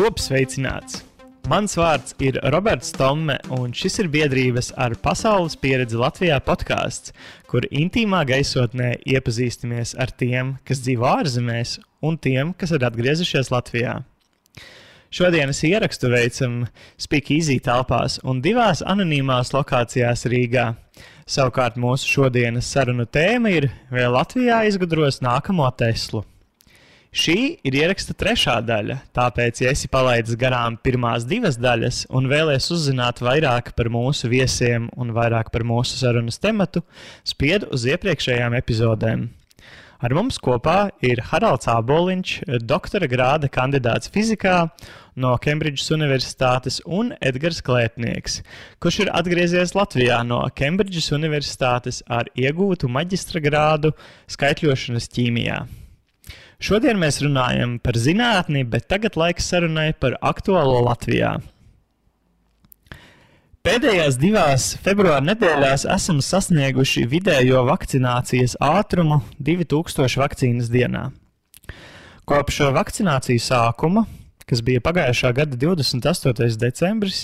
Top sveicināts! Mans vārds ir Roberts Tomme, un šis ir biedrības ar pasaules pieredzi Latvijā podkāsts, kur intīmā gaisotnē iepazīstamies ar tiem, kas dzīvo ārzemēs, un tiem, kas ir atgriezušies Latvijā. Šodienas ierakstu veicam Speakeasy telpās un 2 anonīmās lokācijās Rīgā. Savukārt mūsu šodienas sarunu tēma ir, vai Latvijā izgudros nākamo Teslu. Šī ir ieraksta 3. daļa, tāpēc, ja esi palaidis garām pirmās 2 daļas un vēlies uzzināt vairāk par mūsu viesiem un vairāk par mūsu sarunas tematu, spied uz iepriekšējām epizodēm. Ar mums kopā ir Haralds Āboliņš, doktora grāda kandidāts fizikā no Kembridžas Universitātes un Edgars Klētnieks, kurš ir atgriezies Latvijā no Kembridžas Universitātes ar iegūtu maģistra grādu skaitļošanas ķīmijā. Šodien mēs runājam par zinātni, bet tagad laiks sarunai par aktuālo Latvijā. Pēdējās 2 februāra nedēļās esam sasnieguši vidējo vakcinācijas ātrumu 2000 vakcīnas dienā. Kopš vakcinācijas sākuma, kas bija pagājušā gada 28. decembris,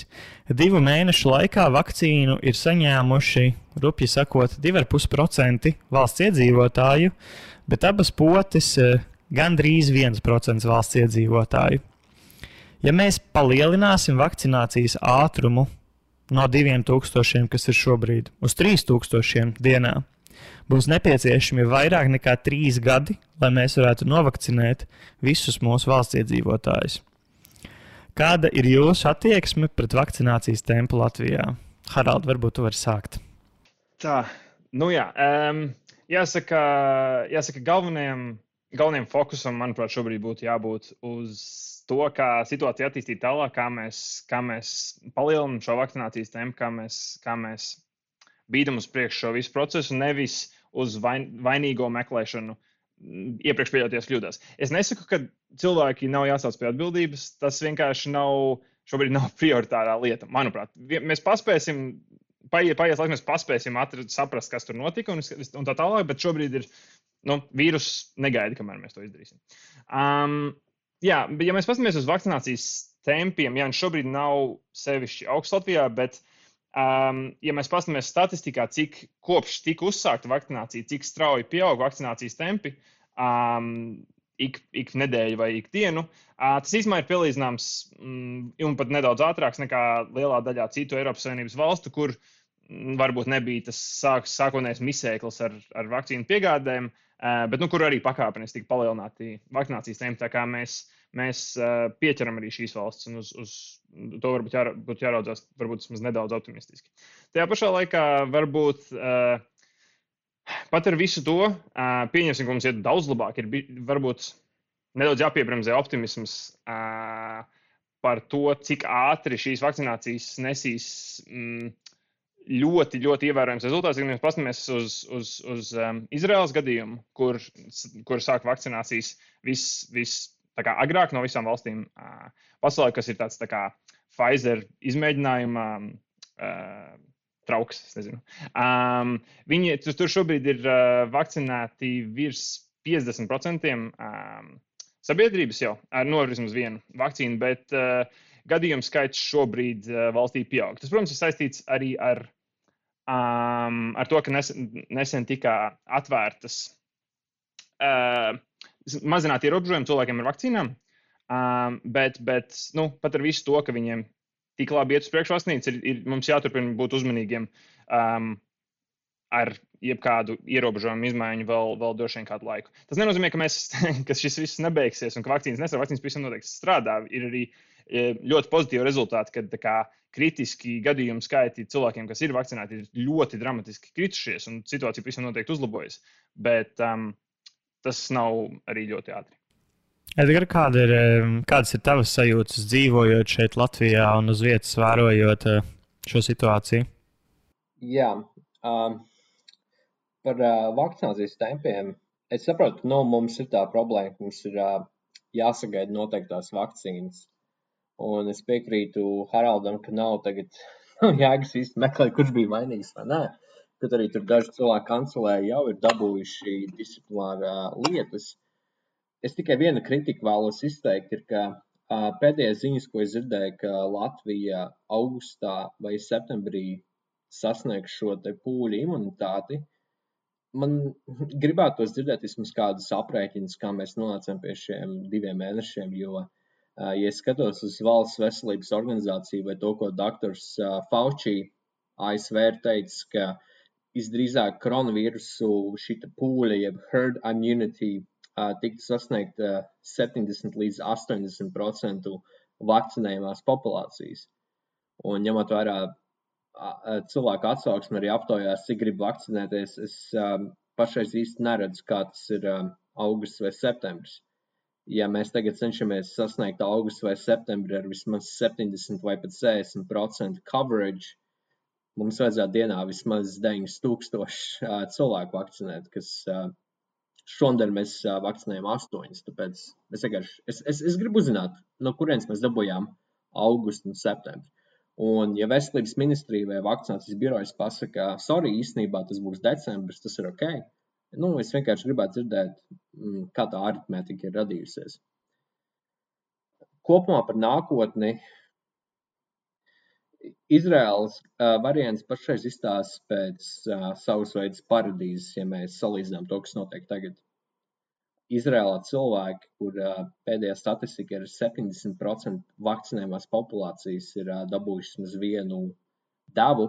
2 mēnešu laikā vakcīnu ir saņēmuši, rupji sakot, 2,5% valsts iedzīvotāju, bet abas potes gandrīz 1% valsts iedzīvotāju. Ja mēs palielināsim vakcinācijas ātrumu no 2000, kas ir šobrīd, uz 3000 dienā, būs nepieciešami vairāk nekā 3 gadi, lai mēs varētu novakcinēt visus mūsu valsts iedzīvotājus. Kāda ir jūsu attieksme pret vakcinācijas tempu Latvijā? Harald, varbūt tu vari sākt. Tā, jāsaka galvenajam fokusam, manuprāt, šobrīd būtu jābūt uz to, kā situācija attīstīt tālāk, kā mēs palielinam šo vakcinācijas tempu, kā mēs bīdam uz priekšu šo visu procesu, nevis uz vainīgo meklēšanu iepriekš pieļauties kļūdās. Es nesaku, ka cilvēki nav jāsauc pie atbildības, tas vienkārši šobrīd nav prioritārā lieta, manuprāt. Mēs paspēsim, paies laiks, mēs paspēsim saprast, kas tur notika un tā tālāk, bet šobrīd ir, vīrus negaida, kamēr mēs to izdarīsim. Ja mēs paskatāmies uz vakcinācijas tempiem, viņš šobrīd nav sevišķi augsts Latvijā, bet, ja mēs paskatāmies statistikā, cik kopš tika uzsākta vakcinācija, cik strauji pieaug vakcinācijas tempi, ik nedēļu vai ik dienu, tas īstenībā ir pielīdzināms un pat nedaudz ātrāks nekā lielā daļā citu Eiropas Savienības valstu, kur varbūt nebija tas sākotnējais misēklis ar vakcīnu piegādēm, bet kur arī pakāpeniski tika palielināti vakcinācijas tempi, tā kā mēs pieķeram arī šīs valsts un uz to varbūt jāraudzās varbūt nedaudz optimistiski. Tajā pašā laikā varbūt pat ar visu to pieņemsim, ka mums iet daudz labāk, ir varbūt nedaudz jāpiebremzē optimisms par to, cik ātri šīs vakcinācijas nesīs ļoti, ļoti ievērojams rezultāts. Ja mēs paskatāmies uz Izraēlas gadījumu, kur sāk vakcinācijas tā kā agrāk no visām valstīm pasaulē, kas ir tāds tā kā Pfizer izmēģinājuma trauks, es nezinu. Viņi tur šobrīd ir vakcinēti virs 50% sabiedrības jau ar vismaz vienu vakcīnu, bet gadījumu skaits šobrīd valstī pieaug. Tas, protams, ir saistīts arī ar to, ka nesen tika atvērtas mazināt ierobežojumi cilvēkiem ar vakcīnām, bet pat ar visu to, ka viņiem tik labi iet uz priekšu vakcīnas, mums jāturpina būt uzmanīgiem ar jebkādu ierobežojumu izmaiņu vēl droši vien kādu laiku. Tas nenozīmē, ka šis viss nebeigsies un ka vakcīnas pavisam noteikti strādā. Ir arī ļoti pozitīvi rezultāti, kad kritiski gadījumu skaiti cilvēkiem, kas ir vakcinēti, ir ļoti dramatiski kritušies un situācija pavisam noteikti uzlabojas. Bet tas nav arī ļoti ātri. Edgar, kādas ir tavas sajūtas dzīvojot šeit Latvijā un uz vietas vērojot šo situāciju? Jā, par vakcinācijas tempiem. Es saprotu, ka mums ir tā problēma, ka mums ir jāsagaida noteiktās vakcīnas. Un es piekrītu Haraldam, ka nav tagad jēgas īsti meklēt, kurš bija vainīgs vai nē. Kad arī tur daži cilvēki kancelē jau ir dabūjuši disciplinārā lietas. Es tikai vienu kritiku vēlos izteikt, ir, ka Pēdējais ziņas, ko es dzirdēju, ka Latvija augustā vai septembrī sasniegs šo te pūļu imunitāti, man gribētos dzirdēt vismaz kādus aprēķinus, kā mēs nonācām pie šiem 2 mēnešiem, jo, ja es skatos uz Valsts veselības organizāciju vai to, ko doktors Fauci ASV ir teicis, ka visdrīzāk koronavīrusu šita pūļa, jeb herd immunity, tiktu sasniegt 70 līdz 80% vakcinējumās populācijas. Un ņemot vērā cilvēku atsauksmi arī aptaujās, cik grib vakcinēties, es pašreiz īsti neredzu, kā tas ir augusts vai septembris. Ja mēs tagad cenšamies sasniegt augustu vai septembri ar vismaz 70 vai pat 60% coverage, mums vajadzētu dienā vismaz 9,000 cilvēku vakcinēt, kas šodien mēs vakcinējam 8, tāpēc es gribu uzzināt, no kurienes mēs dabūjām augustu un septembri. Un, ja veselības ministrija vai vakcinācijas birojas pasaka, sorry, īstenībā tas būs decembris, tas ir ok. Es vienkārši gribētu dzirdēt, kā tā aritmētika ir radījusies. Kopumā par nākotni Izraēlas variants pašreiz izstāsta pēc savas veidas paradīzes, ja mēs salīdzinām to, kas notiek tagad. Izraēlā cilvēki, kur pēdējā statistika ir 70% vakcinējumās populācijas, ir dabūjuši vismaz vienu devu,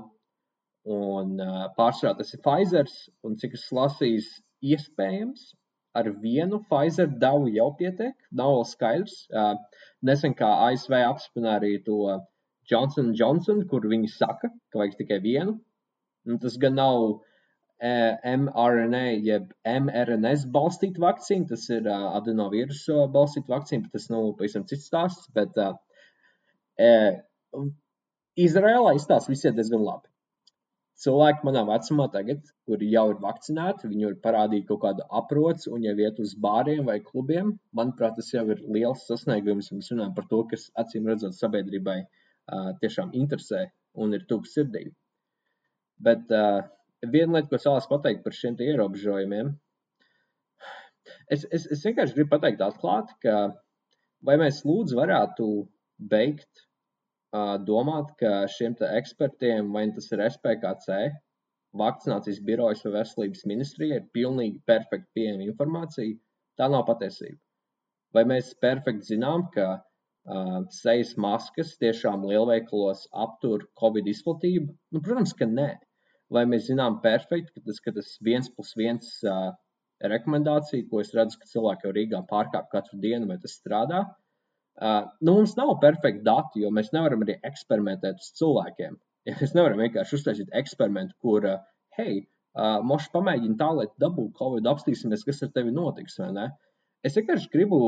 un pārsvarā tas ir Pfizers, un cik es lasījis, iespējams, ar vienu Pfizer devu jau pietiek, nav vēl skaidrs. Nesen kā ASV apspināja arī to Johnson & Johnson, kur viņi saka, ka vajag tikai vienu. Un tas gan nav mRNA, jeb mRNS balstīta vakcīna, tas ir adenovīrusu balstīta vakcīna, bet tas nav pavisam cits stāsts, bet Izraēlā izstāsta visiet diezgan labi. Cilvēki manā vecumā tagad, kuri jau ir vakcinēti, viņi ir parādīja kaut kādu aproci un jau iet uz bāriem vai klubiem. Manuprāt, tas jau ir liels sasniegums, un mēs runājam par to, kas acīm redzot sabiedrībai tiešām interesē un ir tuvu sirdī. Bet viena lieta, ko es vēlos pateikt par šiem ierobežojumiem, es vienkārši gribu pateikt atklāti, ka vai mēs lūdzu varētu beigt domāt, ka šiem ekspertiem, vai tas ir SPKC, vakcinācijas birojas vai veselības ministrija, ir pilnīgi perfekti pieejama informācija, tā nav patiesība. Vai mēs perfekti zinām, ka sejas maskas tiešām lielveikalos aptur Covid izplatību? Protams, ka nē. Vai mēs zinām perfekti, ka tas 1+1 rekomendācija, ko es redzu, ka cilvēki jau Rīgā pārkāp katru dienu, vai tas strādā? Mums nav perfekti dati, jo mēs nevaram arī eksperimentēt uz cilvēkiem. Ja mēs nevaram vienkārši uztaisīt eksperimentu, kur, moši pamēģina tā, lai dabūtu Covid, apstīsimies, kas ar tevi notiks, vai ne? Es vienkārši gribu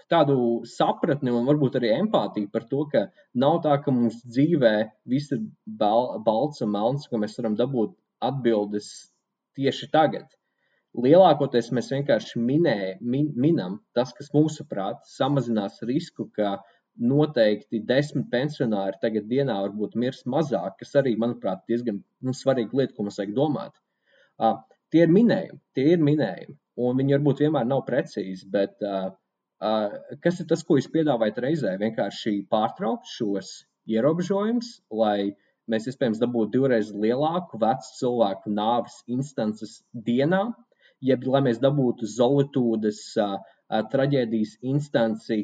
tādu sapratni un varbūt arī empātiju par to, ka nav tā, ka mums dzīvē viss ir balts un melns, ka mēs varam dabūt atbildes tieši tagad. Lielākoties mēs vienkārši minam tas, kas mūsuprāt samazinās risku, ka noteikti 10 pensionāri tagad dienā varbūt mirs mazāk, kas arī, manuprāt, diezgan svarīga lieta, ko mums vajag domāt. Tie ir minējumi, un viņi varbūt vienmēr nav precīzi, bet kas ir tas, ko jūs piedāvājat reizē? Vienkārši pārtraukt šos ierobežojumus, lai mēs iespējams dabūtu 2 reizes lielāku vecu cilvēku nāves instances dienā, jeb lai mēs dabūtu Zolitūdes traģēdijas instanci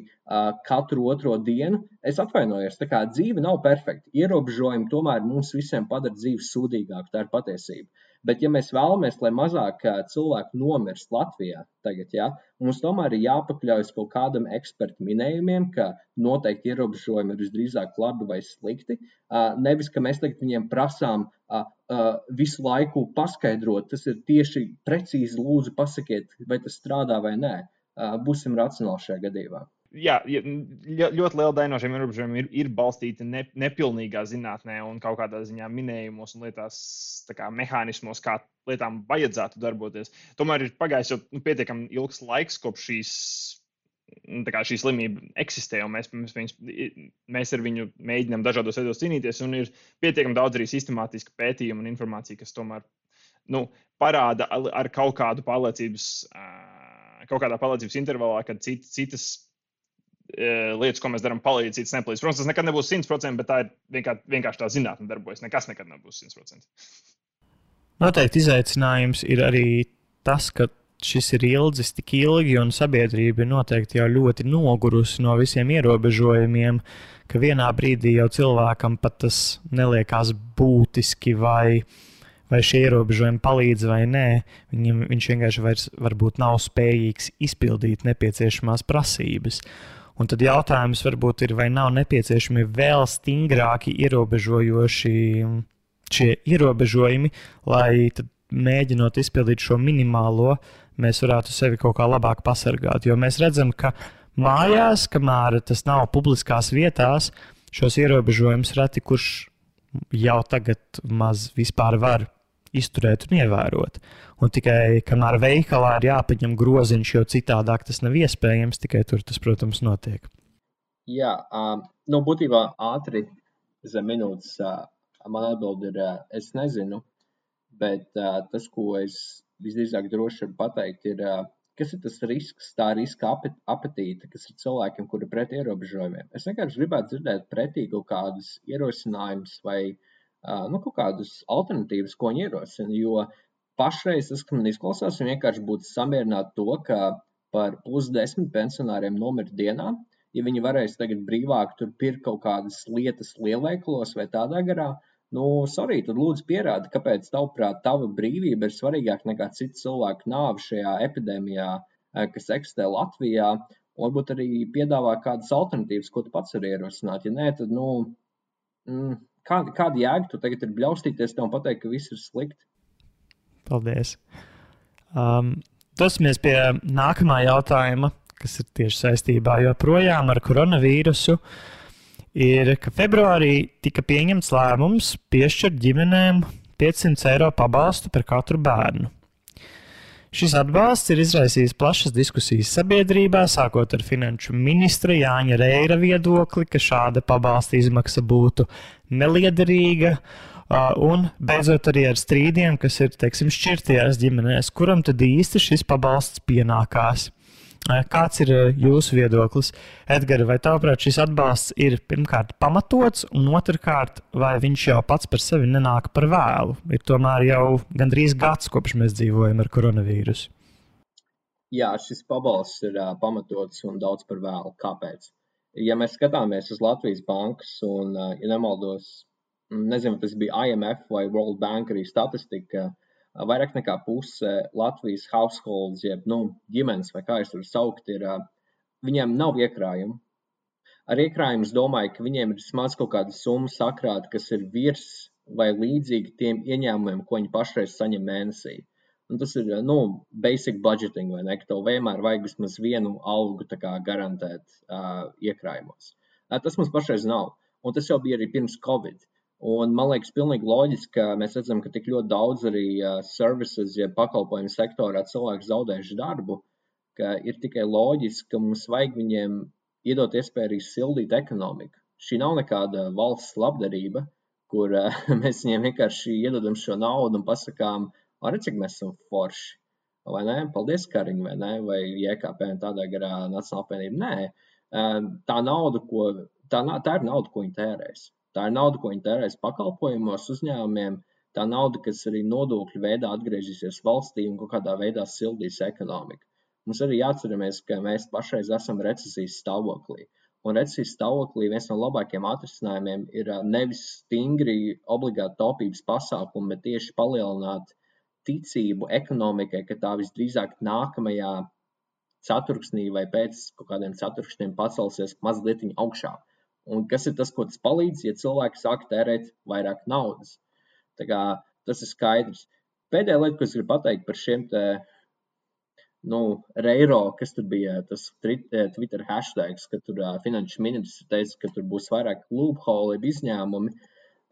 katru otro dienu. Es atvainojos, tā kā dzīve nav perfekta. Ierobežojumi tomēr mums visiem padara dzīvi sūdīgāku, tā ir patiesība. Bet ja mēs vēlamies, lai mazāk cilvēku nomirst Latvijā tagad, mums tomēr ir jāpakļaujas kaut kādam ekspertu minējumiem, ka noteikti ierobežojumi ir visdrīzāk labi vai slikti. Nevis, ka mēs tagad viņiem prasām visu laiku paskaidrot, tas ir tieši precīzi lūdzu pasakiet, vai tas strādā vai nē. Būsim racionāli šajā gadījumā. Jā, ļoti liela daļa no šiem ierobežojumiem ir balstīta nepilnīgā zinātnē un kaut kādā ziņā minējumos un lietās, mehānismos, kā lietām vajadzētu darboties. Tomēr ir pagājis jau pietiekami ilgs laiks, kopš šī slimība eksistē, un mēs ar viņu mēģinām dažādos veidos cīnīties, un ir pietiekami daudz arī sistemātiska pētījuma un informācija, kas tomēr parāda ar kaut kādā pārliecības intervalā, kad citas lietas, ko mēs darām, palīdz, cits nepalīdz. Protams, tas nekad nebūs 100%, bet tā ir vienkārši tā zinātne darbojas. Nekas nekad nebūs 100%. Noteikti izaicinājums ir arī tas, ka šis ir ilgs tik ilgi, un sabiedrība ir noteikti jau ļoti nogurusi no visiem ierobežojumiem, ka vienā brīdī jau cilvēkam pat tas neliekās būtiski, vai šie ierobežojumi palīdz vai nē. Viņš vienkārši vairs varbūt nav spējīgs izpildīt nepieciešamās prasības. Un tad jautājums varbūt ir, vai nav nepieciešami vēl stingrāki ierobežojoši šie ierobežojumi, lai tad mēģinot izpildīt šo minimālo, mēs varētu sevi kaut kā labāk pasargāt. Jo mēs redzam, ka mājās, kamēr tas nav publiskās vietās, šos ierobežojumus reti kurš jau tagad maz vispār var izturēt un ievērot. Un tikai kamēr veikalā ir jāpaņem groziņš, jo citādāk tas nav iespējams, tikai tur tas, protams, notiek. Jā, būtībā ātri zem minūtes man atbild ir, es nezinu, bet tas, ko es visdrīzāk droši varu pateikt, ir, kas ir tas risks, tā riska apetīte, kas ir cilvēkiem, kuri pret ierobežojumiem. Es vienkārši gribētu dzirdēt pretī kaut kādus ierosinājumus vai kaut kādus alternatīvas, ko viņi ierosina, jo pašreiz tas, ka man izklausās, un vienkārši būtu samierināt to, ka par +10 pensionāriem nomirst dienā, ja viņi varēs tagad brīvāk tur pirkt kaut kādas lietas lielveikalos vai tādā garā, sorry, tad lūdzu pierādi, kāpēc tavuprāt tava brīvība ir svarīgāka nekā citu cilvēku nāve šajā epidēmijā, kas eksistē Latvijā, un varbūt arī piedāvā kādas alternatīvas, ko tu pats vari ierosināt. Ja nē, tad, kāda jēga tu tagad ir bļaustīties tev un pateikt, ka viss ir slikti? Paldies. Dosimies pie nākamā jautājuma, kas ir tieši saistībā joprojām ar koronavīrusu. Ir, ka februārī tika pieņemts lēmums piešķirt ģimenēm 500 eiro pabalstu par katru bērnu. Šis atbalsts ir izraisījis plašas diskusijas sabiedrībā, sākot ar finanšu ministra Jāņa Reira viedokli, ka šāda pabalsta izmaksa būtu neliederīga, un beidzot arī ar strīdiem, kas ir, šķirtajās ģimenēs, kuram tad īsti šis pabalsts pienākās. Kāds ir jūsu viedoklis? Edgar, vai tavuprāt šis atbalsts ir pirmkārt pamatots, un otrkārt, vai viņš jau pats par sevi nenāk par vēlu? Ir tomēr jau gandrīz gads, kopš mēs dzīvojam ar koronavīrusu. Jā, šis pabalsts ir pamatots un daudz par vēlu. Kāpēc? Ja mēs skatāmies uz Latvijas bankas un, ja nemaldos, nezinu, tas bija IMF vai World Bank arī statistika, vairāk nekā puse Latvijas households, jeb ģimenes, vai kā es varu saukt, viņiem nav iekrājumu. Ar iekrājumu es domāju, ka viņiem ir vismaz kaut kāda summa sakrāta, kas ir virs vai līdzīgi tiem ieņēmumiem, ko viņi pašreiz saņem mēnesī. Un tas ir, basic budgeting, vai ne, ka tev vienmēr vajag vismaz vienu algu tā kā garantēt iekrājumos. Tas mums pašreiz nav, un tas jau bija arī pirms Covid. Un man liekas pilnīgi loģiski, ka mēs redzam, ka tik ļoti daudz arī services, ja pakalpojumu sektorā cilvēki zaudējuši darbu, ka ir tikai loģiski, ka mums vajag viņiem iedot iespēju arī sildīt ekonomiku. Šī nav nekāda valsts labdarība, kur mēs viņiem vienkārši iedodam šo naudu un pasakām, cik mēs esam forši, vai ne? Paldies, Kariņ, vai ne? Vai JKP un tādā garā Nacionāla apvienība? Nē, tā ir nauda, ko viņi tērēs. Tā ir nauda, ko viņi tērēs pakalpojumos uzņēmumiem, tā nauda, kas arī nodokļu veidā atgriezīsies valstī un kaut kādā veidā sildīs ekonomiku. Mums arī jāatceramies, ka mēs pašreiz esam recesijas stāvoklī. Un recesijas stāvoklī viens no labākiem atrisinājumiem ir nevis stingri obligāti taupības pasākumi, bet tieši palielināt ticību ekonomikai, ka tā visdrīzāk nākamajā ceturksnī vai pēc kaut kādiem ceturkšņiem pacelsies mazliet augšā. Un kas ir tas, ko tas palīdz, ja cilvēki sāk tērēt vairāk naudas? Tā kā tas ir skaidrs. Pēdējā lieta, ko es gribu pateikt par šiem Reiro, kas tur bija tas Twitter hashtags, ka tur finanšu ministrs teica, ka tur būs vairāk loophole, izņēmumi.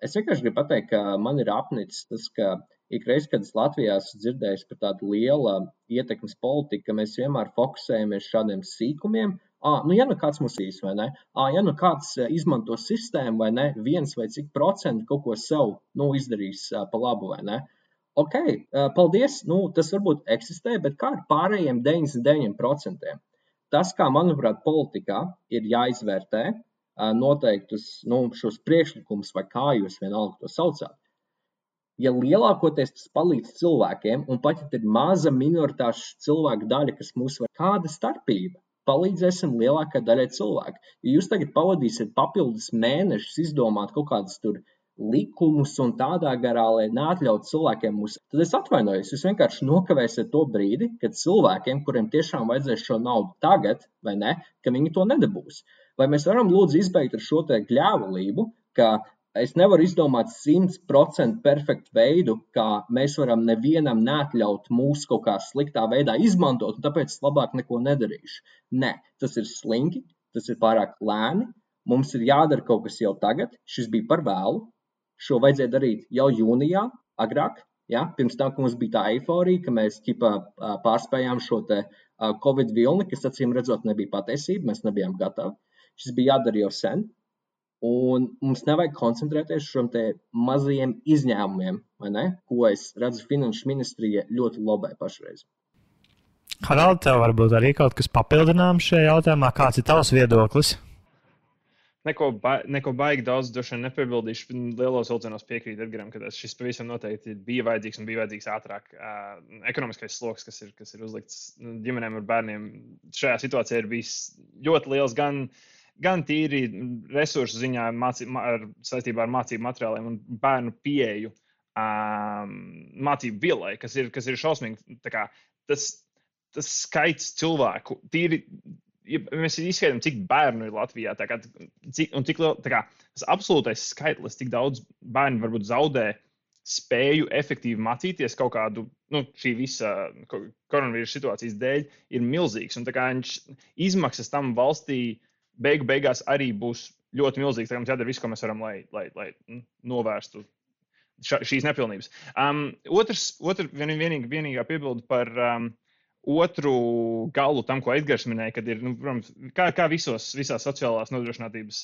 Es vienkārši gribu pateikt, ka man ir apnicis tas, ka ikreiz, kad es Latvijā esmu dzirdējis par tādu lielu ietekmes politiku, ka mēs vienmēr fokusējamies šādiem sīkumiem. Ja kāds mūs īs, vai ne? Ja kāds izmanto sistēmu, vai ne? 1 vai cik procentu kaut ko sev izdarīs pa labu, vai ne? Ok, paldies, tas varbūt eksistē, bet kā ar pārējiem 99%? tas, kā, manuprāt, politikā ir jāizvērtē noteiktus šos priekšlikumus, vai kā jūs vienalga to saucāt. Ja lielākoties tas palīdz cilvēkiem, un pat ja ir maza minoritāšu cilvēku daļa, kas mūs var kāda starpība, palīdzēsim lielākai daļai cilvēku. Ja jūs tagad pavadīsiet papildus mēnešus izdomāt kaut kādus tur likumus un tādā garā, lai neatļautu cilvēkiem mūs, tad es atvainojos, jūs vienkārši nokavēsiet to brīdi, kad cilvēkiem, kuriem tiešām vajadzēs šo naudu tagad, vai ne, ka viņi to nedabūs. Vai mēs varam lūdzu izbeigt ar šo te gļēvulību, ka es nevaru izdomāt 100% perfektu veidu, kā mēs varam nevienam neatļaut mūs kaut kā sliktā veidā izmantot, un tāpēc es labāk neko nedarīšu. Nē, tas ir slinki, tas ir pārāk lēni, mums ir jādara kaut kas jau tagad, šis bija par vēlu, šo vajadzēja darīt jau jūnijā, agrāk, ja? Pirms tam, ka mums bija tā eiforija, ka mēs pārspējām šo te Covid vilni, kas acīm redzot nebija patiesība, mēs nebijām gatavi. Šis bija jādara jau sen. Un mums nevajag koncentrēties šiem te mazajiem izņēmumiem, vai ne? Ko es redzu Finanšu ministrija ļoti lobē pašreiz. Harald, tev varbūt arī kaut kas papildināms šajā jautājumā. Kāds ir tavs viedoklis? Neko baigi daudz droši vien nepiebildīšu. Lielos vilcienos piekrīt Edgaram, ka šis pavisam noteikti bija vajadzīgs un bija vajadzīgs ātrāk. Ekonomiskais sloks, kas ir uzlikts ģimenēm ar bērniem, šajā situācijā ir bijis ļoti liels gan tīri resursu ziņā saistībā ar mācību materiāliem un bērnu pieeju mācību vielai, kas ir šausmīgi. Tas skaits cilvēku, tīri, ja mēs izskaidām, cik bērnu ir Latvijā, tas absolūtais skaitlis, cik daudz bērnu varbūt zaudē spēju efektīvi mācīties kaut kādu, šī visa koronavīrusa situācijas dēļ, ir milzīgs. Un izmaksas tam valstī beigās arī būs ļoti milzīgs. Mums jādara viss, ko mēs varam, lai novērstu šīs nepilnības. Vienīgā piebilde par otru galu tam, ko Edgars minēja, kad ir, protams, kā visās sociālās nodrošinātības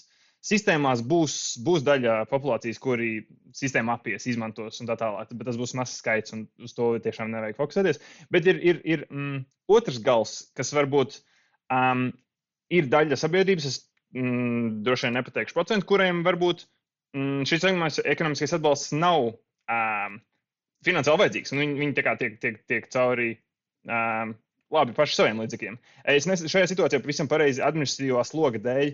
sistēmās būs daļa populācijas, kuri sistēma apies, izmantos un tā tālāk, bet tas būs mazs skaits un uz to tiešām nevajag fokusēties. Bet ir otrs gals, kas varbūt ir daļa sabiedrības, es droši vien nepateikšu procentu, kuriem varbūt šis ekonomiskais atbalsts nav finansiāli vajadzīgs. Viņi tiek cauri labi paši saviem līdzekļiem. Šajā situācijā pavisam pareizi administratīvā sloga dēļ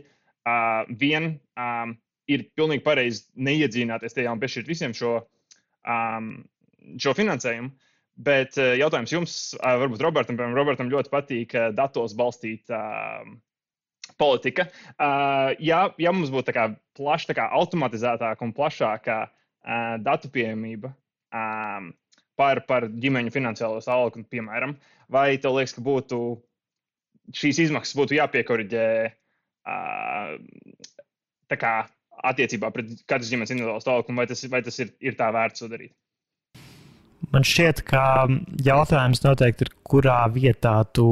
ir pilnīgi pareizi neiedzīvināties tajā un piešķirt visiem šo finansējumu. Bet jautājums jums, varbūt Robertam ļoti patīk datos balstīt politika. Ja mums būtu plaša, automatizētāka un plašāka datu pieejamība par ģimeņu finansiālo stāvokli, piemēram, vai tev liekas, ka šīs izmaksas būtu jāpiekoriģē attiecībā pret katras ģimenes individuālo stāvokli, vai tas ir tā vērts to darīt? Man šķiet, ka jautājums noteikti ir, kurā vietā tu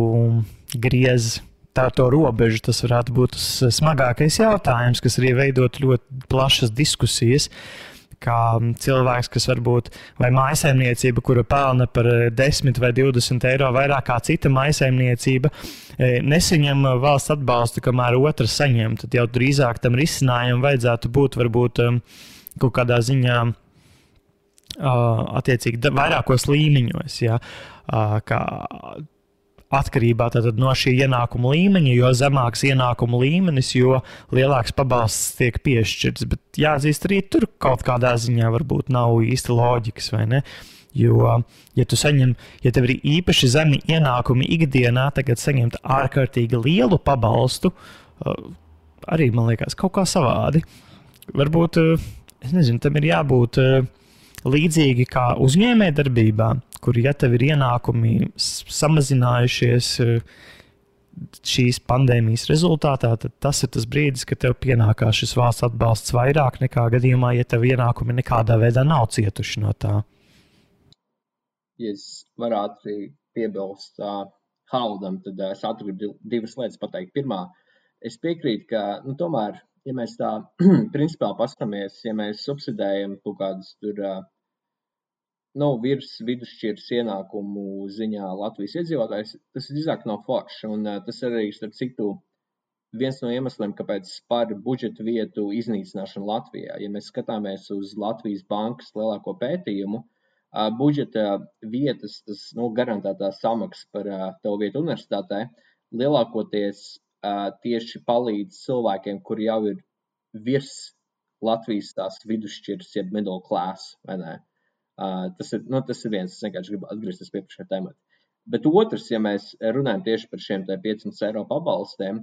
griez to robežu. Tas varētu būt tas smagākais jautājums, kas arī veidot ļoti plašas diskusijas, kā cilvēks, kas varbūt vai mājsaimniecība, kura pelna par 10 vai 20 eiro vairāk kā cita mājsaimniecība, nesaņem valsts atbalstu, kamēr otrs saņem. Tad jau drīzāk tam risinājumam vajadzētu būt varbūt kaut kādā ziņā attiecīgi vairākos līmeņos, ja, kā atkarībā no šī ienākuma līmeņa, jo zemāks ienākuma līmenis, jo lielāks pabalsts tiek piešķirts. Bet jāatzīst, arī tur kaut kādā ziņā varbūt nav īsti loģikas, vai ne? Jo, ja tev ir īpaši zemi ienākumi ikdienā, tagad saņemt ārkārtīgi lielu pabalstu, arī, man liekas, kaut kā savādi. Varbūt, es nezinu, tam ir jābūt līdzīgi kā uzņēmējdarbībā, kur, ja tev ir ienākumi samazinājušies šīs pandēmijas rezultātā, tad tas ir tas brīdis, kad tev pienākās šis valsts atbalsts vairāk nekā gadījumā, ja tev ienākumi nekādā veidā nav cietuši no tā. Ja es varētu arī piebilst Haraldam, tad es gribu divas lietas pateikt. Pirmā, es piekrītu, ka tomēr, ja mēs tā principāli paskatāmies, ja mēs subsidējam kaut kādus tur virs vidusšķiras ienākumu ziņā Latvijas iedzīvotājs, tas drīzāk nav forši. Un tas arī, starp citu, viens no iemesliem, kāpēc par budžeta vietu iznīcināšanu Latvijā. Ja mēs skatāmies uz Latvijas bankas lielāko pētījumu, budžeta vietas, tas garantētā samaksa par tavu vietu universitātē, lielākoties tieši palīdz cilvēkiem, kuri jau ir virs Latvijas tās vidusšķiras, jeb middle class, vai ne? Tas ir viens, es vienkārši gribu atgriezties pie šiem temati. Bet otrs, ja mēs runājam tieši par šiem 500 eiro pabalstiem,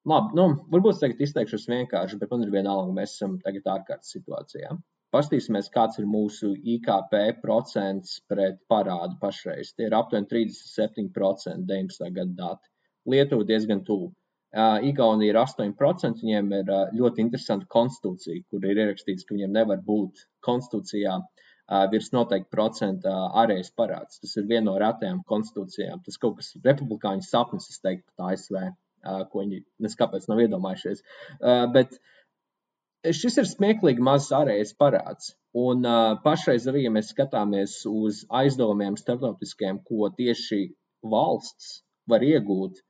labi, varbūt tagad izteikšos vienkārši, bet man ir vienalga, mēs esam tagad ārkārtas situācijā. Pastīsimies, kāds ir mūsu IKP procents pret parādu pašreiz. Tie ir aptuveni 37% 19. gada dati. Lietuva diezgan tuvu. Igaunija ir 8%, viņiem ir ļoti interesanta konstitūcija, kur ir ierakstīts, ka viņiem nevar būt konstitūcijā virs noteikti procenta ārējais parāds. Tas ir viena no retajām konstitūcijām. Tas kaut kas republikāņu sapnis, es teiktu, pat ASV, ko viņi neskāpēc nav iedomājušies. Bet šis ir smieklīgi mazs ārējais parāds. Un pašreiz arī, ja mēs skatāmies uz aizdevumiem starptautiskiem, ko tieši valsts var iegūt,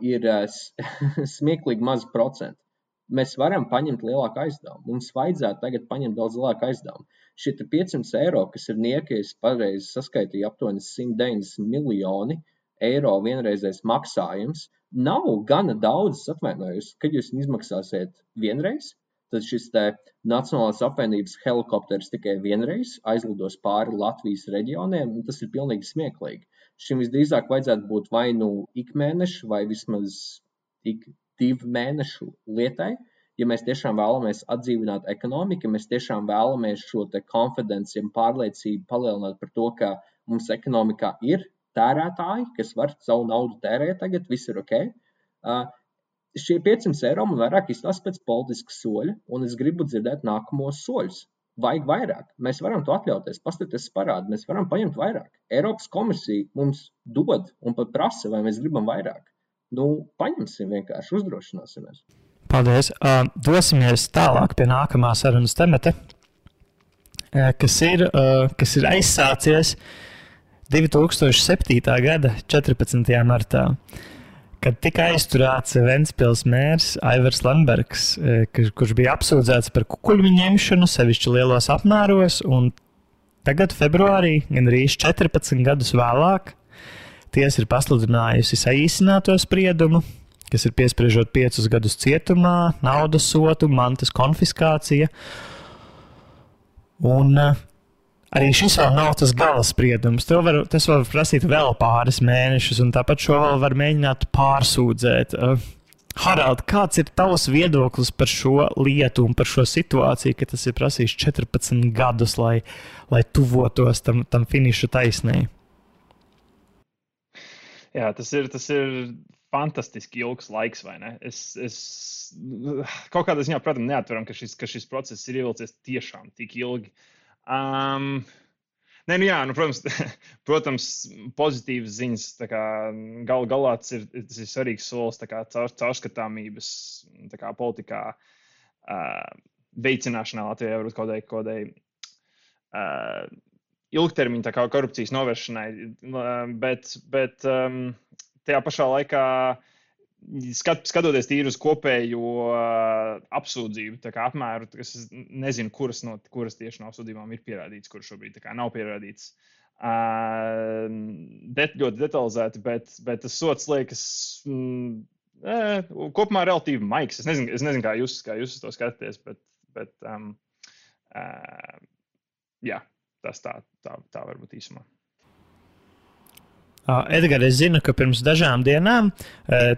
ir smieklīgi maz procentu. Mēs varam paņemt lielāku aizdevumu. Mums vajadzētu tagad paņemt daudz lielāku aizdevumu. Šie 500 eiro, kas ir niekies, pareizi saskaitīja aptuveni 190 miljoni eiro vienreizējs maksājums, nav gana daudz, atvainojos, kad jūs izmaksāsiet vienreiz, tad šis Nacionālās apvienības helikopters tikai vienreiz aizlidos pāri Latvijas reģioniem, un tas ir pilnīgi smieklīgi. Šim visdrīzāk vajadzētu būt vai ik mēnešu, vai vismaz ik 2 mēnešu lietai, ja mēs tiešām vēlamies atdzīvināt ekonomiku, ja mēs tiešām vēlamies šo konfidenci un pārliecību palielināt par to, ka mums ekonomikā ir tērētāji, kas var savu naudu tērēt tagad, viss ir ok. Šie 500 eiro man vairāk izstāsta pēc politiska soļa, un es gribu dzirdēt nākamos soļus. Vajag vairāk. Mēs varam to atļauties, paskatīties parādu, mēs varam paņemt vairāk. Eiropas komisija mums dod un pat prasa, vai mēs gribam vairāk. Paņemsim vienkārši, uzdrošināsimies. Paldies. Dosimies tālāk pie nākamā sarunas temata, kas ir aizsācies 2007. gada 14. martā, kad tika aizturēts Ventspils mērs Aivars Lembergs, kurš bija apsūdzēts par kukuļu ņemšanu, sevišķi lielos apmēros, un tagad februārī, gandrīz 14 gadus vēlāk, tiesa ir pasludinājusi saīsināto spriedumu, kas ir piespriežot 5 gadus cietumā, naudas sotu, mantas konfiskācija. Un arī šis vēl nav tas gala spriedums. Tas var prasīt vēl pāris mēnešus, un tāpat šo vēl var mēģināt pārsūdzēt. Harald, kāds ir tavs viedoklis par šo lietu un par šo situāciju, ka tas ir prasījis 14 gadus, lai tuvotos tam finiša taisnē? Jā, tas ir fantastiski ilgs laiks, vai ne? Es kaut kādā ziņā, protams, neatveram, ka šis process ir ievilcies tiešām tik ilgi. Protams, pozitīvas ziņas, galā tas ir svarīgs solis caurskatāmības politikā veicināšanā Latvijā, varbūt kādai ilgtermiņa korupcijas novēršanai, bet tajā pašā laikā skatoties tīri uz kopējo apsūdzību apmēru, es nezinu, kuras tieši no apsūdzībām ir pierādīts, kuras šobrīd nav pierādīts. Ļoti detalizēti, bet tas sots liekas kopumā relatīvi maigs. Es nezinu, kā jūs uz to skatāties, bet jā, tas tā varbūt īsumā. Edgars, es zinu, ka pirms dažām dienām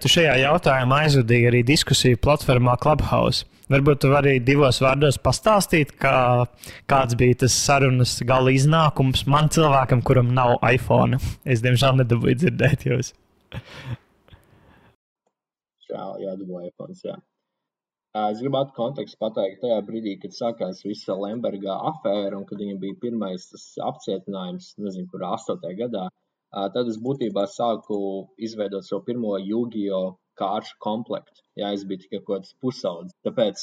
tu šajā jautājumā aizvadīji arī diskusiju platformā Clubhouse. Varbūt tu vari 2 vārdos pastāstīt, kāds bija tas sarunas gala iznākums man cilvēkam, kuram nav iPhone. Es, diemžēl, nedabūju dzirdēt jūs. Jā, dabūju iPhone, jā. Es gribētu kontekstu pateikt tajā brīdī, kad sākās visa Lemberga afēra un kad viņam bija pirmais tas apcietinājums, nezinu, kurā 8. gadā. Tad es būtībā sāku izveidot savu pirmo Yu-Gi-Oh kāršu komplektu. Jā, es biju tikai kaut kāds pusaudzis. Tāpēc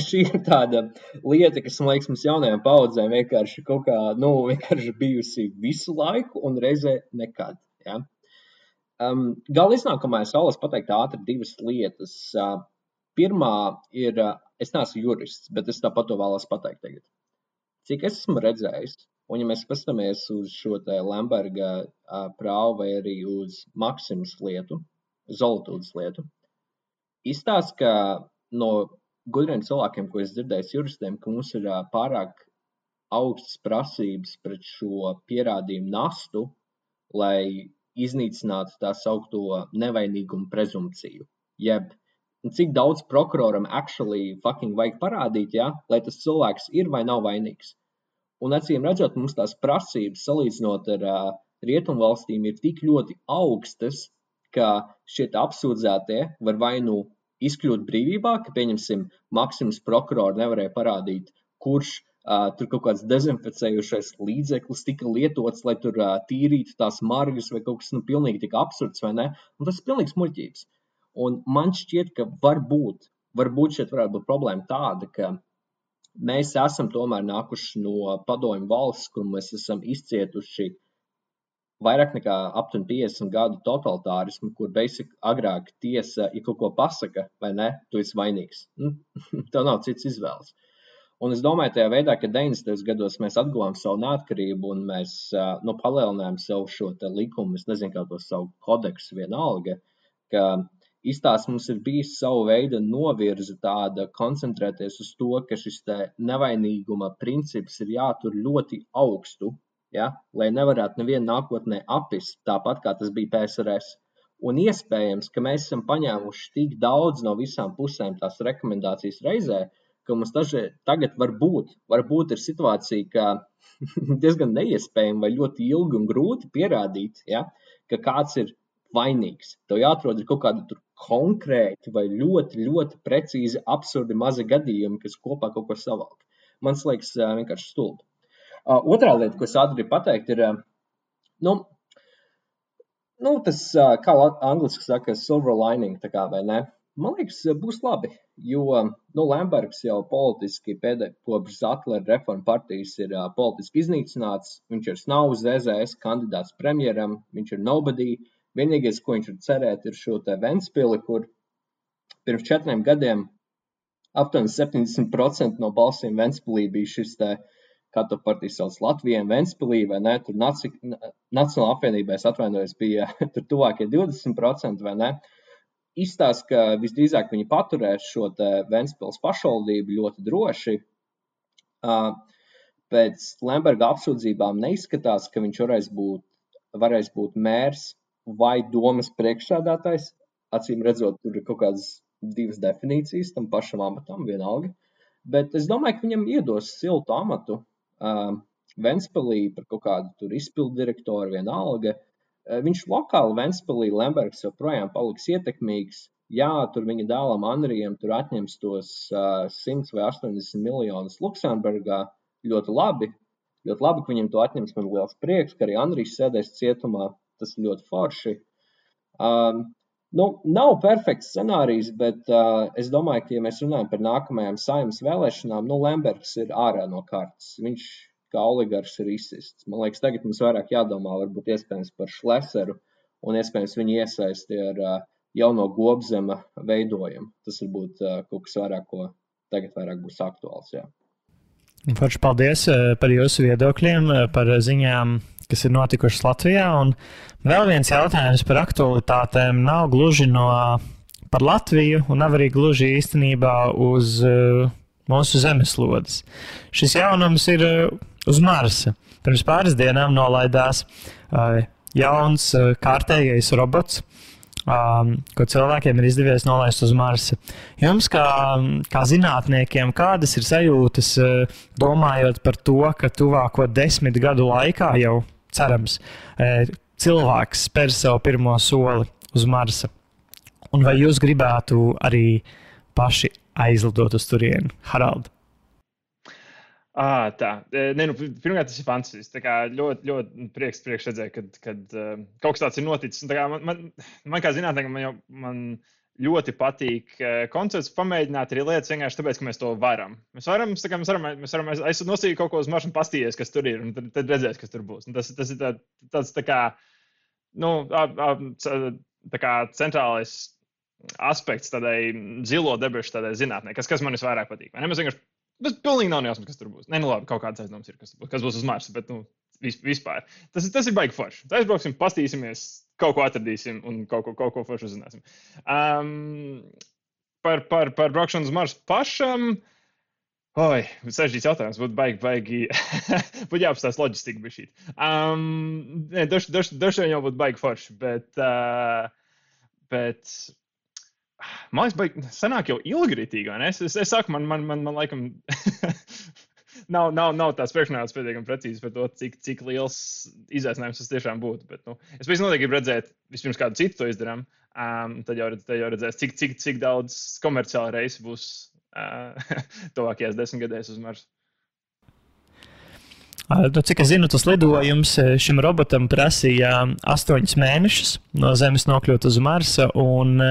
šī ir tāda lieta, kas, man liekas, mums jaunajām paudzēm vienkārši kaut kā, vienkārši bijusi visu laiku un reizē nekad. Jā. Gala iznākumā es vēlos pateikt ātri divas lietas. Pirmā ir, es neesmu jurists, bet es tāpat to vēlos pateikt tagad. Cik es esmu redzējis, un ja mēs paskatāmies uz šo te Lemberga prāvu vai arī uz Maksimas lietu, Zolotūdas lietu, izstāsta, ka no gudriem cilvēkiem, ko es dzirdēju juristiem, ka mums ir pārāk augstas prasības pret šo pierādījumu nastu, lai iznīcinātu tā saukto nevainīgumu prezumpciju. Jeb, cik daudz prokuroram actually fucking vajag parādīt, ja, lai tas cilvēks ir vai nav vainīgs. Un acīm redzot, mums tās prasības salīdzinot ar rietumvalstīm ir tik ļoti augstas, ka šie apsūdzētie var vai nu izkļūt brīvībā, ka, pieņemsim, Maksimas prokurori nevarēja parādīt, kurš tur kaut kāds dezinficējušais līdzeklis tika lietots, lai tur tīrītu tās margas vai kaut kas pilnīgi tik absurds, vai ne? Un tas ir pilnīgs muļķības. Un man šķiet, ka varbūt šeit varētu būt problēma tāda, ka mēs esam tomēr nākuši no padomju valsts, kur mēs esam izcietuši vairāk nekā aptuveni 50 gadu totalitārismu, kur basic agrāk tiesa, ja kaut ko pasaka, vai ne, tu esi vainīgs. Tev nav cits izvēles. Un es domāju, tajā veidā, ka 90. gados mēs atguvām savu neatkarību un mēs palielinājām savu šo te likumu, es nezinu, kā to savu kodeksu vienalga, ka izstāsts mums ir bijis savu veidu novirza tāda koncentrēties uz to, ka šis te nevainīguma princips ir jātur ļoti augstu, ja, lai nevarētu nevienu nākotnē apist, tāpat kā tas bija PSRS. Un iespējams, ka mēs esam paņēmuši tik daudz no visām pusēm tās rekomendācijas reizē, ka mums tagad varbūt ir situācija, ka diezgan neiespējami vai ļoti ilgi un grūti pierādīt, ja, ka kāds ir vainīgs. Tev jāatrod ir kaut kādi tur konkrēti vai ļoti, ļoti precīzi absurdi mazi gadījumi, kas kopā kaut ko savalk. Man liekas vienkārši stulbi. Otrā lieta, ko es ātri pateikt, ir, tas, kā angliski saka, silver lining, tā kā, vai ne? Man liekas, būs labi, jo, Lembergs jau politiski kopš Zatlera reforma partijas ir politiski iznīcināts, viņš ir nav ZZS kandidāts premjeram, viņš ir nobody, vienīgais, ko viņš ir cerēt, ir šo te Ventspili, kur pirms 4 gadiem aptuveni 70% no balsīm Ventspilī bija šis te, kā to partiju sauc Latvijiem, Ventspilī, vai ne, tur Nacionāla apvienībā, es atvainojos, bija tur tuvākie 20%, vai ne, izstāsta, ka visdrīzāk viņi paturēs šo te Ventspils pašvaldību ļoti droši. Pēc Lemberga apsūdzībām neizskatās, ka viņš varēs būt mērs vai domas priekšsēdētājs. Acīm redzot, tur ir kaut kādas 2 definīcijas tam pašam amatam, vienalga. Bet es domāju, ka viņam iedos siltu amatu Ventspilī par kaut kādu tur izpildu direktoru vienalga. Viņš lokāli Ventspilī, Lembergs joprojām paliks ietekmīgs. Jā, tur viņa dēlam Anrijam tur atņems tos 100 vai 80 miljonus Luksemburgā. Ļoti labi, ka viņam to atņems, man liels prieks, ka arī Anrijs sēdēs cietumā. Tas ir ļoti forši. Nav perfekts scenārijs, bet es domāju, ka, ja mēs runājam par nākamajām Saeimas vēlēšanām, Lembergs ir ārā no kartes. Viņš kā oligars ir izsists. Man liekas, tagad mums vairāk jādomā, varbūt iespējams par Šleseru un iespējams viņu iesaisti ar jauno Gobzema veidojumu. Tas varbūt kaut kas vairāk, ko tagad vairāk būs aktuāls, jā. Forši paldies par jūsu viedokļiem, par ziņām, kas ir notikušas Latvijā. Un vēl viens jautājums par aktualitātēm nav gluži par Latviju un nav arī gluži īstenībā uz mūsu zemeslodes. Šis jaunums ir uz Marsa. Pirms pāris dienām nolaidās jauns kārtējais robots, ko cilvēkiem ir izdevies nolaist uz Marsa. Jums, kā zinātniekiem, kādas ir sajūtas, domājot par to, ka tuvāko 10 gadu laikā jau, cerams, cilvēks spēr savu pirmo soli uz Marsa? Un vai jūs gribētu arī paši aizlidot uz turieni, Harald? Tā. Pirmkārt, tas ir fantastisks. Tā kā ļoti, ļoti prieks redzēt, kad kaut kas tāds ir noticis. Un tā kā man kā zinātniekam, man ļoti patīk koncepts pamēģināt arī lietas vienkārši tāpēc, ka mēs to varam. Mēs varam nosīt kaut ko uz maršu un pastīties, kas tur ir, un tad redzēs, kas tur būs. Un tas ir tāds tā kā, tā kā centrālais aspekts tādai zilo debešu tādai zinātnē, kas man visvairāk patīk. Tas pilnīgi nav nejausmas, kas tur būs. Labi, kaut kāds aizdoms ir, kas būs uz Marsa, bet vispār. Tas ir baigi forši. Aizbrauksim, pastīsimies, kaut ko atradīsim un kaut ko forši uzzināsim. Par braukšanu uz Marsu pašam. Sarežģīts jautājums. Būtu baigi. Būtu jāapstāsta loģistika bišķīt. Dažs jau būtu baigi forši, bet man liekas, sanāk jau ilgritīgi, vai ne? Es saku, man laikam nav tāds priekšnājums pietiekami precīzi par to, cik liels izaicinājums tas tiešām būtu. Bet, es pēc noteikti gribu redzēt, vispirms kādu citu to izdarām, tad jau redzēs, cik daudz komerciāla reisi būs tuvākajās 10 gadēs uz Marsu. Cik es zinu, tas lidojums šim robotam prasīja 8 mēnešus no Zemes nokļūt uz Marsa, un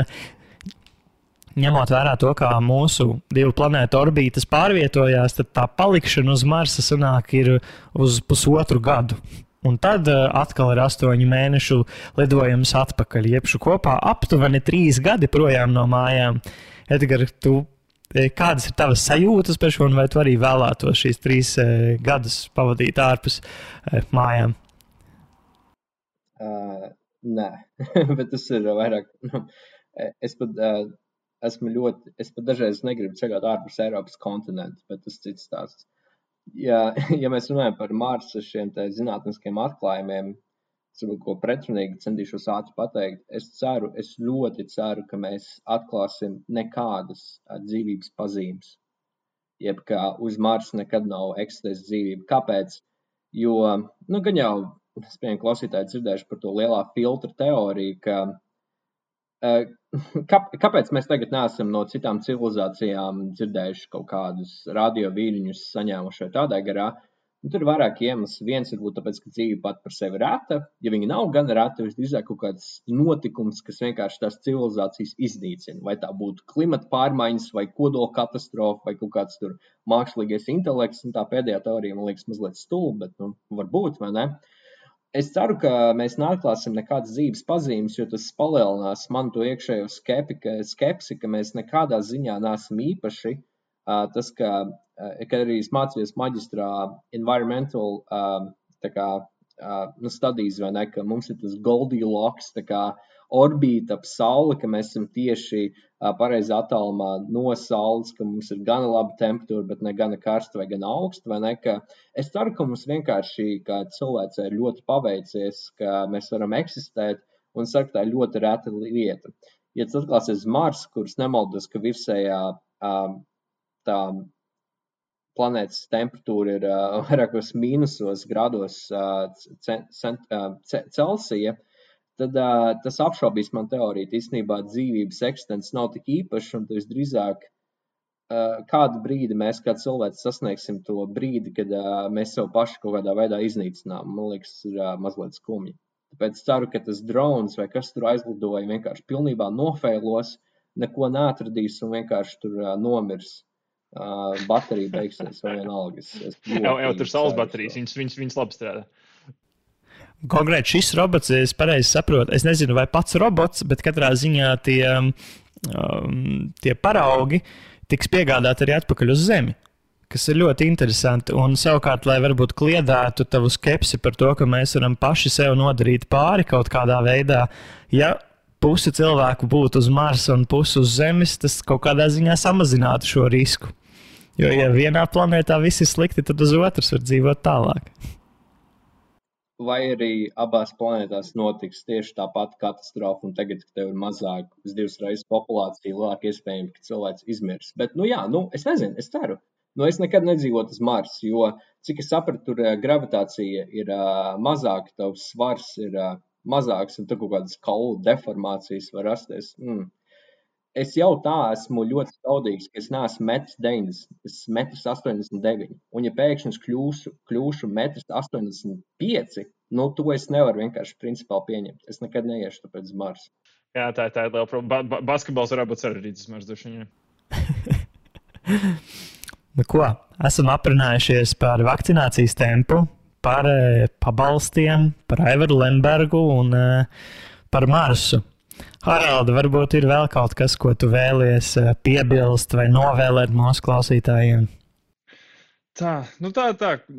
ņemot vērā to, kā mūsu 2 planētu orbītas pārvietojās, tad tā palikšana uz Marsa sanāk ir uz 1,5 gadu. Un tad atkal ir 8 mēnešu lidojums atpakaļ, jebšu kopā aptuveni 3 gadi projām no mājām. Edgar, kādas ir tavas sajūtas par šo, un vai tu arī vēlētos šīs 3 gadus pavadīt ārpus mājām? Nē, bet tas ir vairāk. Es pat dažreiz negribu ceļot ārpus Eiropas kontinentu, bet tas cits stāsts. Ja mēs runājam par Marsa šiem te zinātniskiem atklājumiem, ko pretrunīgi centīšos ātri pateikt, es ļoti ceru, ka mēs atklāsim nekādas dzīvības pazīmes. Jeb kā uz Marsa nekad nav eksistēs dzīvība. Kāpēc? Jo, gan jau, es pieņemu klausītāji dzirdējuši par to lielā filtra teoriju, ka kāpēc mēs tagad neesam no citām civilizācijām dzirdējuši kaut kādus radio vīriņus saņēmuši vai tādā garā? Tur ir vairāki iemesli. Viens ir būt tāpēc, ka dzīve pat par sevi reta. Ja viņa nav gan reta, visdrīzāk kaut kāds notikums, kas vienkārši tās civilizācijas iznīcina. Vai tā būtu klimata pārmaiņas, vai kodola katastrofa, vai kaut kāds tur mākslīgais intelekts. Un tā pēdējā teorija man liekas mazliet stulba, bet varbūt, vai ne? Es ceru, ka mēs neatklāsim nekādas dzīves pazīmes, jo tas palielinās man to iekšējo skepsi, ka mēs nekādā ziņā neesam īpaši. Tas, kad arī es mācījos maģistrā environmental studijas, vai ne, ka mums ir tas Goldilocks, tā kā orbīta ap Sauli, ka mēs esam tieši pareizā attālumā no Saules, ka mums ir gana laba temperatūra, bet ne gana karsta vai gana augsta, vai ne, ka es ceru, ka mums vienkārši, kā cilvēcei, ir ļoti paveicies, ka mēs varam eksistēt, un ceru, ka tā ir ļoti reta lieta. Ja tas atklāsies Mars, kurš nemaldos, ka virsējā tā planētas temperatūra ir vairākos mīnusos grādos Celsija, tad tas apšaubīs man teoriju. Īstenībā dzīvības eksistence nav tik īpaša, un tas drīzāk kādu brīdi mēs kā cilvēks sasniegsim to brīdi, kad mēs sev paši kaut kādā veidā iznīcinām. Man liekas, tas ir mazliet skumji. Tāpēc ceru, ka tas drons vai kas tur aizlidoja vienkārši pilnībā nofeilos, neko neatradīs un vienkārši tur nomirs. Baterija beigsies vai vienalga. Jau tur saules baterijas, viņas labi strādā. Konkrēti šis robots, es pareizi saprotu, es nezinu, vai pats robots, bet katrā ziņā tie paraugi tiks piegādāti arī atpakaļ uz Zemi, kas ir ļoti interesanti. Un savukārt, lai varbūt kliedētu tavu skepsi par to, ka mēs varam paši sev nodarīt pāri kaut kādā veidā, ja pusi cilvēku būtu uz Marsa un pusi uz Zemes, tas kaut kādā ziņā samazinātu šo risku. Jo, ja vienā planētā viss ir slikti, tad uz otras var dzīvot tālāk. Vai arī abās planētās notiks tieši tā pati katastrofa, un tagad, kad tev ir mazāk, uz 2 reizes populācija, lielāk iespējams, ka cilvēks izmirs. Bet, es nezinu, es ceru. Es nekad nedzīvotu uz Marsa, jo, cik es sapratu, tur gravitācija ir mazāka, tavs svars ir mazāks, un tur kaut kādas kaulu deformācijas var rasties. es jau tā esmu ļoti skaudīgs, ka es neesmu 1,90 m, es esmu 1,89 m. Un ja pēkšņi es kļūšu 1,85 m, nu to es nevaru vienkārši principāli pieņemt. Es nekad neiešu tāpēc uz Marsu. Jā, tā ir liela problēma. Basketbols varētu būt sarežģīts uz Marsu droši vien. Nu ko, esam aprunājušies par vakcinācijas tempu, par pabalstiem, par Aivaru Lembergu un par Marsu. Haralda, varbūt ir vēl kaut kas, ko tu vēlies piebilst vai novēlēt mūsu klausītājiem? Tā,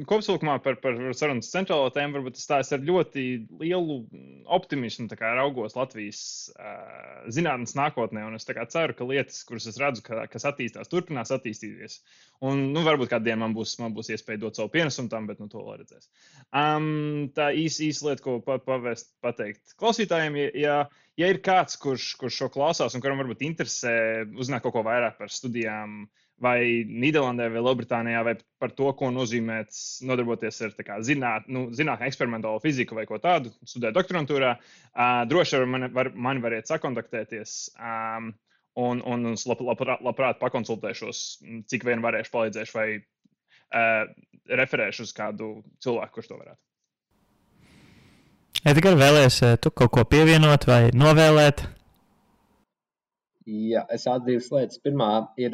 kopsavilkumā par sarunas centrālo tēmu varbūt es tā ar ļoti lielu optimismu raugos Latvijas zinātnes nākotnē, un es ceru, ka lietas, kuras es redzu, kas attīstās, turpinās attīstīties. Un, varbūt kādu dienu man būs iespēja dot savu pienesumu tam, bet to vēl redzēs. Tā īsa lieta, ko pateikt klausītājiem, ja ir kāds, kurš šo klausās un kuram varbūt interesē uzzināt kaut ko vairāk par studijām, vai Nīderlandē, vai Lielbritānijā, vai par to, ko nozīmē nodarboties ar zinātnē, eksperimentālo fiziku vai ko tādu, studēt doktorantūrā, droši mani variet sakontaktēties, un labprāt pakonsultēšos, cik vien varēšu, palīdzēšu vai referēšu uz kādu cilvēku, kurš to varētu. Edgar, vēlies tu kaut ko pievienot vai novēlēt? Jā, es atzīstu lietas. Pirmā ir...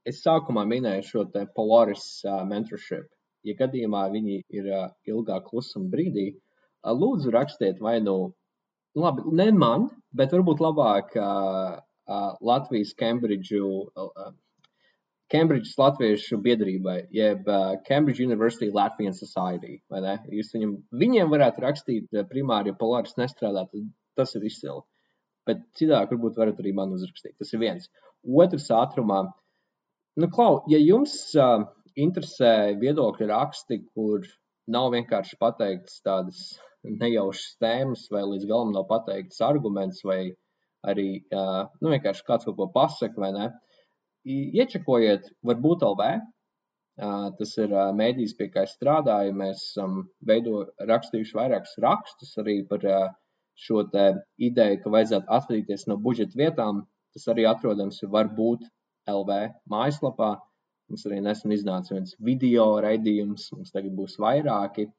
Es sākumā minēju šo te Polaris mentorship. Ja gadījumā viņi ir ilgāk klusuma brīdī, lūdzu rakstiet vai labi, ne man, bet varbūt labāk Latvijas Cambridge Latviešu biedrībai, jeb Cambridge University Latvian Society, vai ne? Jūs viņiem varētu rakstīt primāri, ja Polaris nestrādā, tad tas ir izcili. Bet citāk varbūt varat arī man uzrakstīt. Tas ir viens. Otrs ātrumā. Klau, ja jums interesē viedokļu raksti, kur nav vienkārši pateikts tādas nejaušas tēmas vai līdz galam nav pateikts arguments vai arī vienkārši kāds kaut ko pasaka vai ne, iečekojiet varbūt LV. Tas ir mēdījis, pie kā es strādāju. Mēs esam rakstījuši vairākus rakstus arī par šo te ideju, ka vajadzētu atvadīties no budžeta vietām. Tas arī atrodams varbūt LV mājaslapā. Mums arī nesen iznāca viens video raidījums, mums tagad būs vairāki.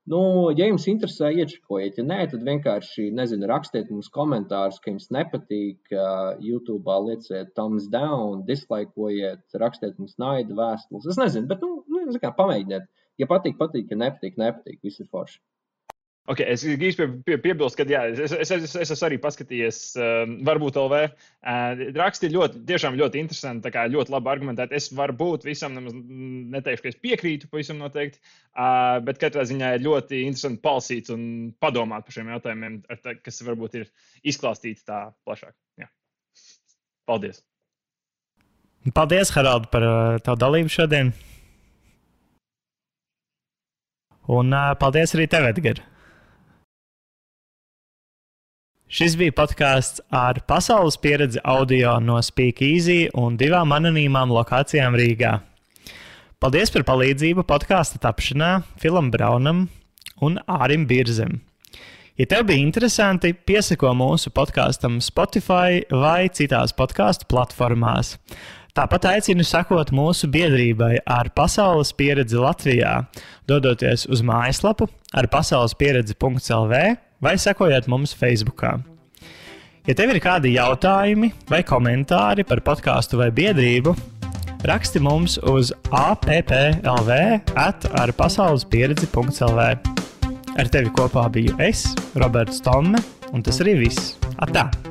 Ja jums interesē, iečekojiet. Ja nē, tad vienkārši, rakstiet mums komentārus, ka jums nepatīk. YouTube'ā lieciet thumbs down, dislikeojiet, rakstiet mums naida vēstules. Es nezinu, bet pamēģiniet. Ja patīk, ja nepatīk, viss ir forši. Okay, es gribēju piebilst, ka jā, es esmu arī paskatījies, varbūt LV. Raksti tiešām ļoti interesanti, ļoti labi argumentēti. Es varbūt visam neteikšu, ka es piekrītu pavisam noteikti, bet katrā ziņā ir ļoti interesanti palasīt un padomāt par šiem jautājumiem, kas varbūt ir izklāstīti tā plašāk. Jā. Paldies! Paldies, Harald, par tavu dalību šodien. Un paldies arī tev, Edgar. Šis bija podkāsts ar pasaules pieredzi audio no Speak Easy un 2 anonīmām lokācijām Rīgā. Paldies par palīdzību podkāsta tapšanā Filam Braunam un Ārim Birzem. Ja tev bija interesanti, piesako mūsu podkāstam Spotify vai citās podkāstu platformās. Tāpat aicinu sekot mūsu biedrībai ar pasaules pieredzi Latvijā, dodoties uz mājaslapu ar pasaulespieredzi.lv vai sekojiet mums Facebookā. Ja tev ir kādi jautājumi vai komentāri par podkāstu vai biedrību, raksti mums uz appLV@arpasaulespieredzi.lv. Ar tevi kopā biju es, Roberts Tomme, un tas arī viss. Atā!